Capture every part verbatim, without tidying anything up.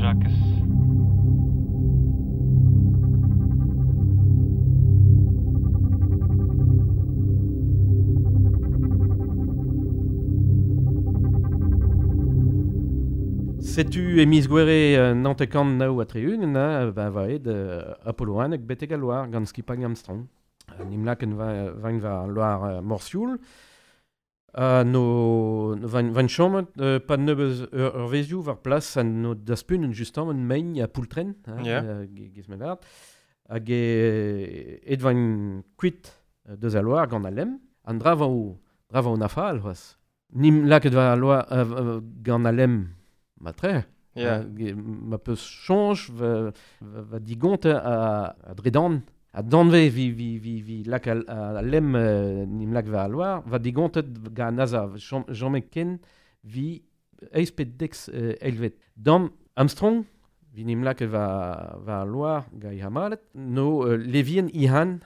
Jakez. Setu e miz gwere naontek-kant nav ha tri-ugent, hein, ba vaet euh, Apollo un hag betek al loar gant skipailh Armstrong. Uh, nim laken vain war loar uh, Morsioul. Uh, no, no vain, vain chomet uh, pa nebeuz ur, ur vezioù war plas an no daspunen justement un mein a poultren, hein, Yeah. uh, giz me lart. Hag e, et vain kuit deus al loar gant al lem. An dra va o, dra va o nafal, c'hoaz. Nim laket war al loar uh, gant al lem matre. Yeah. Uh, ma peus chanj va, va, va digonte a, a dredan a danve vi, vi, vi, vi lak al, a, a lem euh, nim lak va al loar va digontet ga NASA jamais ken vi eiz pet dex euh, elvet. Dam Armstrong vi nim lak va, va al loar ga i hamalet no euh, levien ihan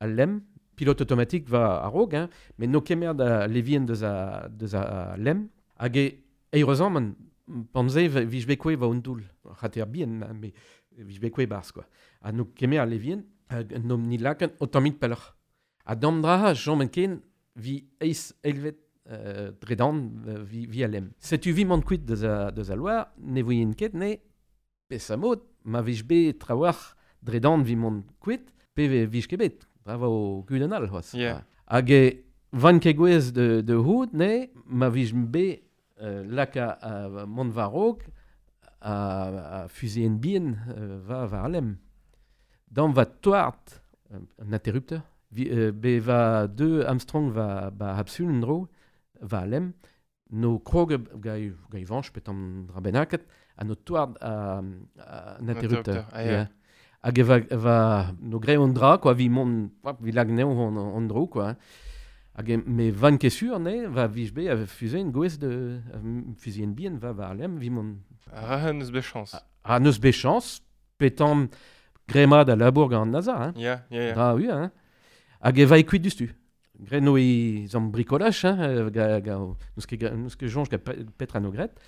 al lem pilote automatique va a-raok, hein, mais no kemer da levien deus a, deus a, a lem hag e eirezan man panze vij bekwe va un doul. C'hater bien, hein, mais vij bekwe barz, quoi. Ha no kemer a levien, hag no ni laken o tammit pelloc'h. Ha dam draha, jom en ken, vi eiz elvet euh, dredan euh, vi, vi a lem. Setu vi mont kuit deus a, deus a loar, ne voyen ket, ne pes a mod, ma vij be trawar dredan vi mont kuit, pe ve vij ket bet. Bravo o kudenn all, c'hoaz. Yeah. Hag e van ket gwez de, de houd, ne, ma vij be euh, lak a, a mont war-raok a, a fuseen bien euh, va war lem. Dam va toart, euh, un interrupteur, vi, euh, be va deux Armstrong va ba hapsul dro, va lem, no krog ga ga vanch pet an dra bennaket, ha no toart a, a, un interrupteur. Interrupteur, ah, yeah. Hag e va, va no gre on dra, quoi, vi mont, hop, vi lag neo on, on dro, quoi. Hag e, me van ket sur, ne, va vij be a fuseen gwez de, a fuseen bien va va lem, vi mont Ah, neus bet chance. A neus bet chance, petan grema da labour gant an NASA, hein. Yeah, yeah, yeah. Dra u, hein. Hag e va e kuit dustu. Gre no i zam bricolach, hein, ga, ga, neus ket, neus ket jonj ga petra no gret.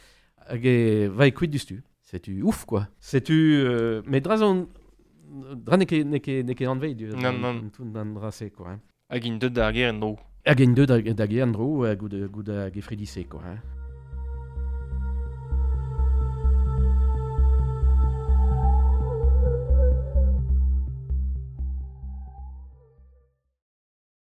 Hag e va e kuit dustu. Setu ouf, quoi. Setu, euh, mais dra zon, dra ne ket, ne ket, ne ket anvei du, Non, non. tout an dra se, quoi. Hein. Hag int deut d'ar ger en dro. Hag int deut da, da ger en dro, goud, goud hag e fredise, quoi. Hein.